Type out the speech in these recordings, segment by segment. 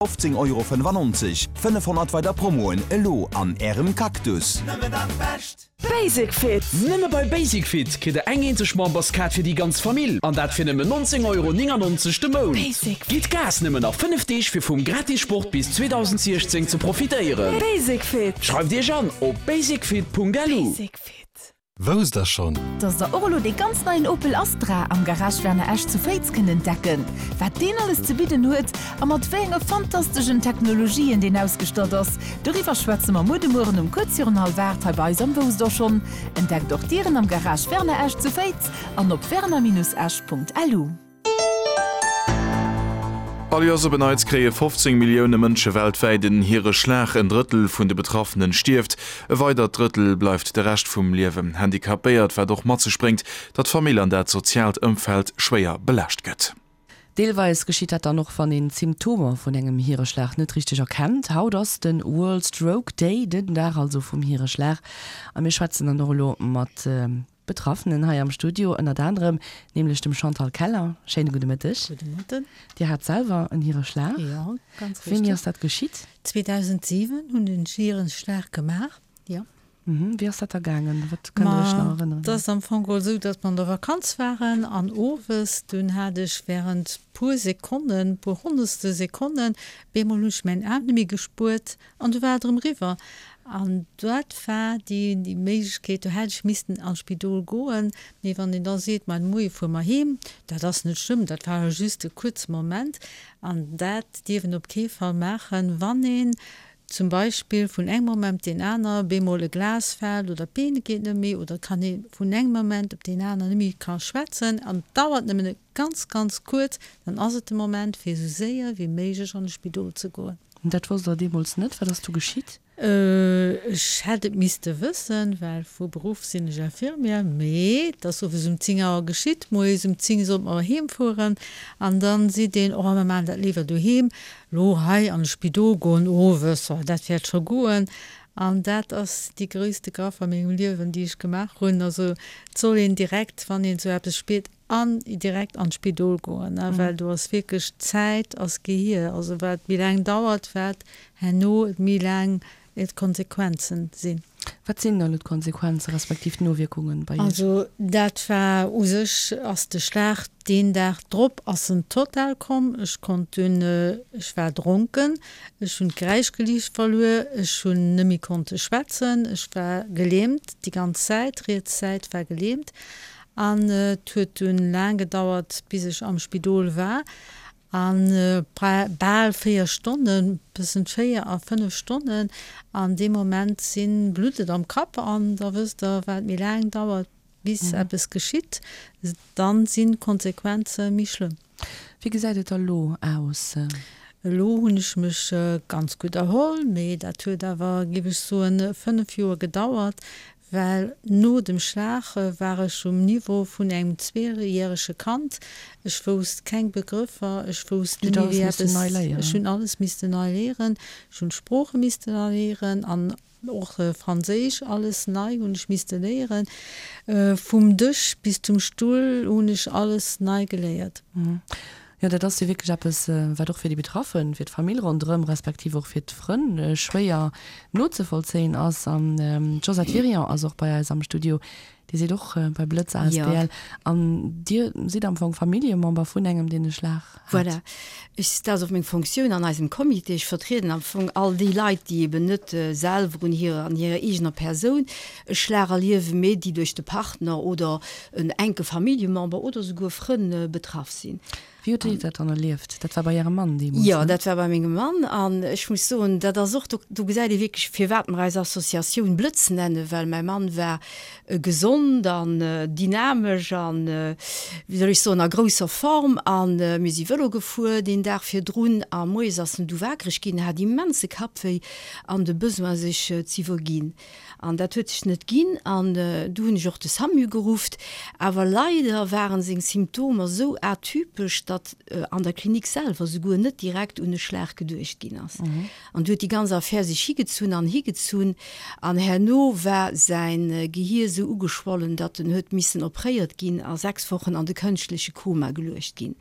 15,95 Euro, 500 weider Promoen elo an Ärem Cactus. Nëmmen dat Bescht! Basic Fit! Nëmme bei Basic Fit kritt der eng eenzeg Memberskaart fir déi ganz Famill an dat fir nëmmen 19,99 Euro de Mount. Basic Fit! Gitt Gas nëmmen nach 5 Deeg fir vum gratis Sport bis 2016 ze profitéieren. Basic Fit! Schreift Iech an op basicfit.lu. Basic Fit! Wousst der schonn? Dass der och elo dee ganz neien Opel Astra am Garage Werner Esch zu Féiz kënnt entdecken? Wat deen alles ze bidden huet a mat wéi enge fantasteschen Technologien deen ausgestatt ass, doriwwer schwätze mer muer de Mueren um kuerz virun hallef 8 hei bei eis am Wousst der schonn. Entdeckt och d'Dieren am Garage Werner Esch zu Féiz an op werner-esch.lu. All Joers op en Neits kréie 15 Millioune Mënsche weltwäit en Hiereschlag. En Drëttel vun de Betraffenen stierft, e weidert Drëttel bleift de Rescht vum Liewen handicapéiert, wat och mat sech bréngt, datt d'Famill an dat soziaalt Ëmfeld schwéier belaascht gëtt. Deelweis geschitt dat dann och, wann een d'Symptomer vun engem Hiereschlag net richteg erkennt. Haut ass de World Stroke Day, den Dag also vum Hiereschlag. A mir schwätzen dann och elo mat. Betraffenen hei am Studio, ënnert anerem nämlech dem Chantal Keller. Schéine gudde Mëtteg. Gudde Mëtten. Dir hat selwer en Hiereschlag. Jo, ganz richteg. Wéini ass dat geschitt? 2007 hunn ech en Hiereschlag gemaach, jo. Wéi ass dat da gaangen? Wat kënnt Der Iech nach erënneren? Ma, et ass am Fong geholl esou, datt mer an der Vakanz waren an owes, dunn hat ech während puer Sekonnen, puer honnertstel Sekonnen, bemol hunn ech mäin Aarm net méi gespuert An du war et erëm eriwwer. An dat war déi Méiglechkeet, do hätt ech missten an d'Spidol goen. Mee wann een da seet, ma de Moie fuere mer heem, dat ass net schlëmm, dat war jo just e kuerze Moment. An dat dierf een op kee Fall maachen, wann een zum Beispill vun engem Moment op deen aner bemol e Glas fält oder d'Been geet net méi oder et kann ee vun engem Moment op deen aner net méi ka schwätzen an et dauert nëmmen e ganz, ganz kuerz, dann ass et de Moment fir esou séier wéi méiglech an de Spidol ze goen. Dat wosst der deemools net. Wat ass du geschitt? Ech hätt et misste wëssen, well vu Beruff sinn ech Infirmière. Mee et ass owes um 10 Auer geschitt. Moies um 10 sollte mer heem fueren. An dann seet een, Oh, mer maachen dat léiwer doheem. Lo hei an de Spidol goen owes, oh, dat wäert scho goen. An dat ass déi gréisste Gaffe a mengem Liewen, déi ech gemaach hunn. Also et soll een direkt, wann een esou eppes spiert, An direkt an d'Spidol goen, well do ass wierklech, d'Zäit ass Gehir. Also wat méi laang dauert, wat herno et méi laang d'Konsequenzen sinn. Wat sinn dann elo d'Konsequenze respektiv d'Nowierkungen bei Iech? Also dat war u sech ass de Schlag deen Dag drop ass en total komm. Ech konnt dunn, ech war dronken, ech hunn d'Gräichgeliicht verluer, ech hunn net méi konnte schwätzen, ech war gelähmt déi ganz Zäit, riets Säit war gelähmt. An et huet dunn laang gedauert, bis ech am Spidol war. A bal 4 Stonnen, tëschent 4 a 5 Stonnen. An dee Moment si blutt et am Kapp an da wësst Der, wat méi laang dauert, bis eppes geschitt, dann sinn d'Konsequenze méi schlëmm. Wéi gesäit et da lo aus? Elo hunn ech mech ganz gutt erholl, mee dat huet awer, géif ech soen, 5 Joer gedauert, Well no dem Schlag war ech um Niveau vun engem zweejärege Kand. Ech wousst keng Begrëffer, ech wousst net méi wéi eppes, ech hunn alles missten nei léieren. Ech hunn d'Sprooche missten nei léieren an och Franséisch, alles nei hunn ech misste léieren. Vum Dësch bis zum Stull hunn ech alles nei geléiert. Jo, dat ass jo wierklech eppes, wat och fir déi Betraffen, fir d'Famill ronderëm, respektiv och fir d'Frënn schwéier nozevollzéien ass. An d'Josette Wirion ass och bei eis am Studio. Dir sidd och bei Blëtz asbl an Dir sidd am Fong Familljemember vun engem, deen e Schlag hat. Voilà. Ech, dat ass och meng Fonctioun an eisem Comité. Ech vertrieden am Fong all déi Leit, déi eben net selwer un hirer, an hirer eegener Persoun e Schlag erliewen, mee déi duerch de Partner oder en enke Familljemember oder souguer Frënn betraff sinn. Wéi hutt Dir dat dann erlieft? Dat war bei Ärem Mann deemools, Jo, dat war bei mengem Mann. An ech muss soen, dat ass och, do, do gesäit ee wierklech, firwat mer eis Associatioun Blëtz nennen, well mäi Mann war gesond an dynamesch an, wéi soll ech soen, a grousser Form. A mir si Vëlo gefuer deen Dag virdrun a moies ass en du wakereg ginn, hat immense Kappwéi an de Besoin sech z'iwwerginn. An dat huet sech net ginn an du hunn ech och de SAMU gerufft. Awer leider waren seng Symptomer sou atypesch, datt. datt an der Klinik selwer souguer net direkt un e Schlag geduecht ginn ass. An du huet déi ganz Affär sech higezunn an higezunn an herno war säin Gehier sou ugeschwollen, datt en huet missen opréiert ginn a 6 Wochen an de kënschtleche Koma geluecht ginn.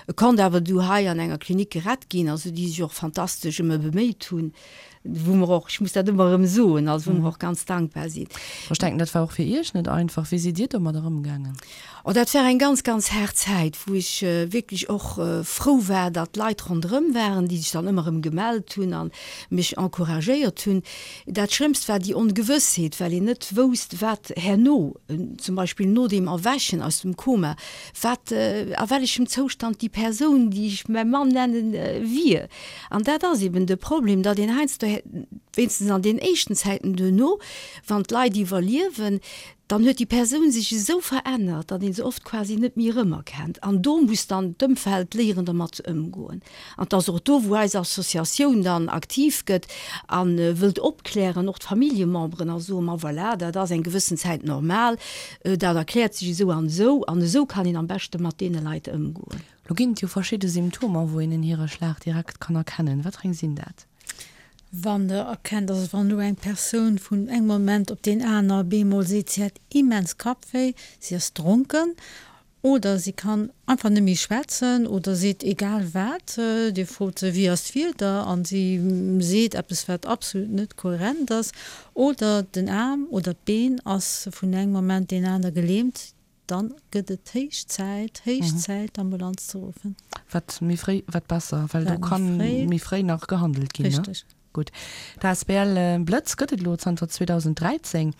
E konnt awer du hei an enger Klinik gerett ginn, also déi sech och fantastesch ëm e beméit hunn. Wou mer och, ech muss dat ëmmer erëm soen, also wou mer och ganz dankbar sinn. Ech denken, dat war och fir Iech net einfach. Wéi sidd Dir domadder ëmgaangen? Oh, dat war eng ganz, ganz haart Zäit, wou ech wierklech och frou war, datt Leit ronderëm waren, déi sech dann ëmmer erëm gemellt hunn a mech encouragéiert hunn. Dat Schlëmmst war déi Ongewëssheet, well een net wousst, wat herno, zum Beispill no deem Erwächen aus dem Koma, wat, a wellechem Zoustand déi Persoun, déi ech mäi Mann nennen, wier. An dat ass eben de Problem, datt een heiansdo, wéinstens an den éischten Zäiten duerno, wann d'Leit iwwerliewen, dann huet déi Persoun sech esou verännert, datt ee se oft quasi net méi erëmerkennt. An do muss dann d'Ëmfeld léieren, dermat ze ëmgoen. An et ass och do, wou eis Associatioun dann aktiv gëtt a wëllt opklären, och d'Familljememberen, a soen, Ma voilà, dat ass eng gewëssen Zäit normal, dat erkläert sech esou an esou, an esou kann een am beschte mat deene Leit ëmgoen. Lo ginn et jo verschidde Symptomer, wou een en Hiereschlag direkt kann erkennen. Wat fir eng sinn dat? Wann der erkennt, also wann elo eng Persoun vun engem Moment op deen aner bemol seet, si hätt immens Kappwéi, si ass dronken oder si kann einfach net méi schwätzen oder seet egal wat, Dir frot se, wéi ass d'Wieder an si seet eppes wat absolut net kohärent ass oder den Aarm oder d'Been ass vun engem Moment deen aner gelähmt, Dann gëtt et héich Zäit, héich Zäit d'Ambulanz ze ruffen. Wat méi fréi, wat besser, well do ka méi fréi nach gehandelt ginn. Richteg. Gutt. D'asbl Blëtz gëtt et elo zanter 2013.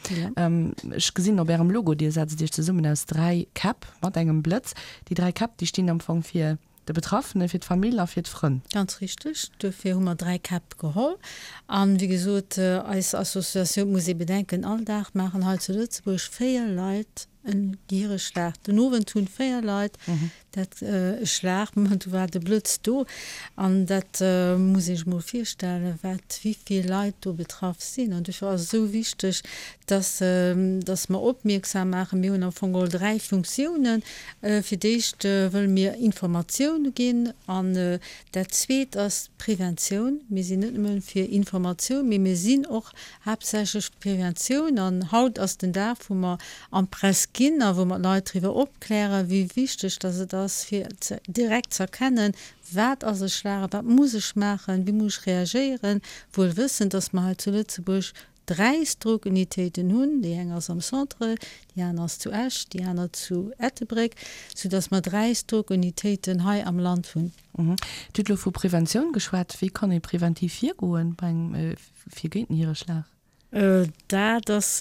Ech gesinn op Ärem Logo, Dir setzt Iech zesummen aus 3 Käpp mat engem Blëtz. Déi 3 Käpp, déi stinn am Fong fir de Betraffene, fir d'Famill a fir d'Frënn. Ganz richteg. Duerfir hu mer 3 Käpp geholl. An, wéi gesot, eis Associatioun, muss ee bedenken, all Dag maachen hei zu Lëtzebuerg 4 Leit en Hireschlag. Den Owend hunn 4 Leit dat e Schlag, do war de Blëtz do. An dat muss ee sech mol virstellen, wat, wéi vill Leit do betraff sinn. An duerfir ass et esou wichteg, dass, dass mer opmierksam maachen. Mir hunn am Fong geholl 3 Funktiounen. Fir d'éischt wëlle mir Informatioun ginn an dat Zweet ass d'Preventioun. Mir sinn net nëmme fir Informatioun, mee mir sinn och haaptsächlech fir Preventioun. An haut ass den Dag, wou mer an d'Press ginn a wou mer d'Leit driwwer opklären, wéi wichteg dass et ass, fir direkt ze erkennen, wat ass e Schlag a wat muss ech maachen, wéi muss ech reagéieren, wuel wëssend, dass mer hei zu Lëtzebuerg 3 Stroke-Unitéiten hunn, déi eng ass am Centre, déi aner ass zu Esch, déi aner zu Ettelbréck, soudass mer 3 Stroke-Unitéiten hei am Land hunn. Dir hutt elo vu Preventioun geschwat. Wéi kann ee preventiv virgoen bei engem, fir géint den Hiereschlag? Dat ass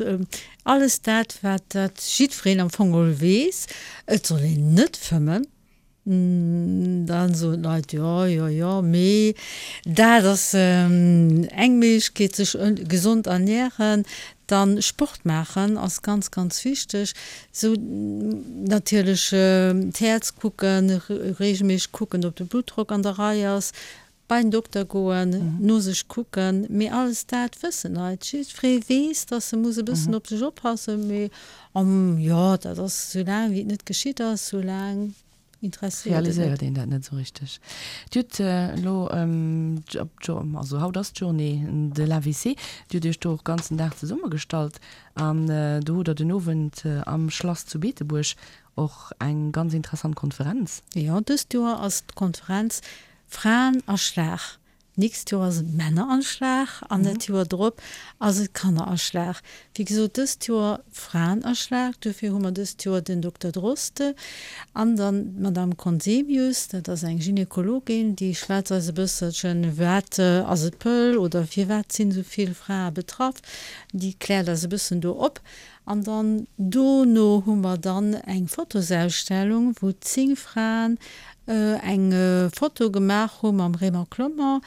alles dat, wat dat jiddwereen am Fong geholl weess. Et soll een net fëmmen. Dann soen d'Leit, jo, jo, jo, mee dat ass eng Méiglechkeet, sech gesond ernären. Dann Sport maachen ass ganz, ganz wichteg. Sou natierlech d'Häerz kucken, reegelméisseg kucken, ob de Bluttdrock an der Rei ass, bei den Dokter goen, no sech kucken, mee alles dat wëssen Leit. Jiddweree weess, dass e muss e bëssen op sech oppassen, mee jo, dat ass, soulaang wéi et net geschitt ass, soulaang interesséiert et net. Realiséiert een dat net esou richteg. Dir hutt elo, also haut ass d'Journée de l'AVC, Dir hutt Iech do och ganzen Dag zesummegestallt an do hutt Der den Owend am Schlass zu Beetebuerg och eng ganz interessant Konferenz. Jo, dëst Joer ass d'Konferenz Fraen a Schlag, D'nächst Joer ass et Männer an Schlag an dat Joer drop ass et Kanner a Schlag. Wéi gesot, dëst Joer Fraen a Schlag, duerfir hu mer dëst Joer den Dokter Droste an dann d'Madame Conzemius, dat ass eng Gynekologin, déi schwätzt eis e bësselchen, wat ass et Pëll oder firwat sinn esou vill Frae betraff, déi kläert eis e bëssen do op. An dann dono hu mer dann eng Fotosausstellung, wou 10 Fraen eng Foto gemaach hu mam Raymond Clement.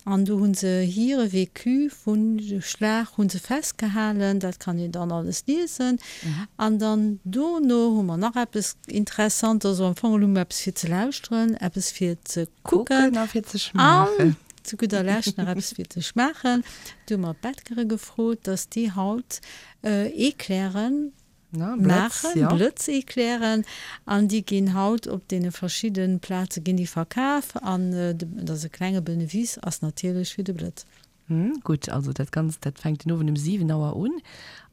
An do hu se hire Vécu vun Schlag hu se festgehalen. Dat kann een dann alles liesen. An dann dono hu mer nach eppes Interessantes, also am Fong hu mer eppes fir ze lauschteren, eppes fir ze kucken a fir ze schmaachen. An zu gudder Lescht nach eppes fir ze schmaachen. Do hu mer d'Bäckere gefrot, dass déi haut Eclairen. Maachen, Blëtz-Eclairen, an déi ginn haut op deene verschidde Plaze ginn déi verkaf an et ass e klenge Benefice ass natierlech fir de Blëtz. Gutt, also dat Ganzt dat fänkt den Owend um 7 Auer un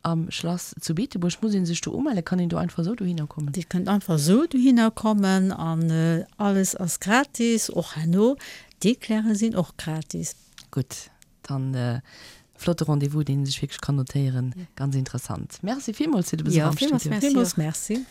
am Schlass zu Beetebuerg. Muss ee sech do umellen? Kann een do einfach esou dohinner kommen? Dir kënnt einfach esou dohinner kommen an alles ass gratis, och herno. D'Eclairen sinn och gratis. Gutt, Dann flotte Rendez-vous, deen een sech wierklech kann notéieren. Ganz interessant. Merci villmools fir de Besuch am Studio. Villmools merci.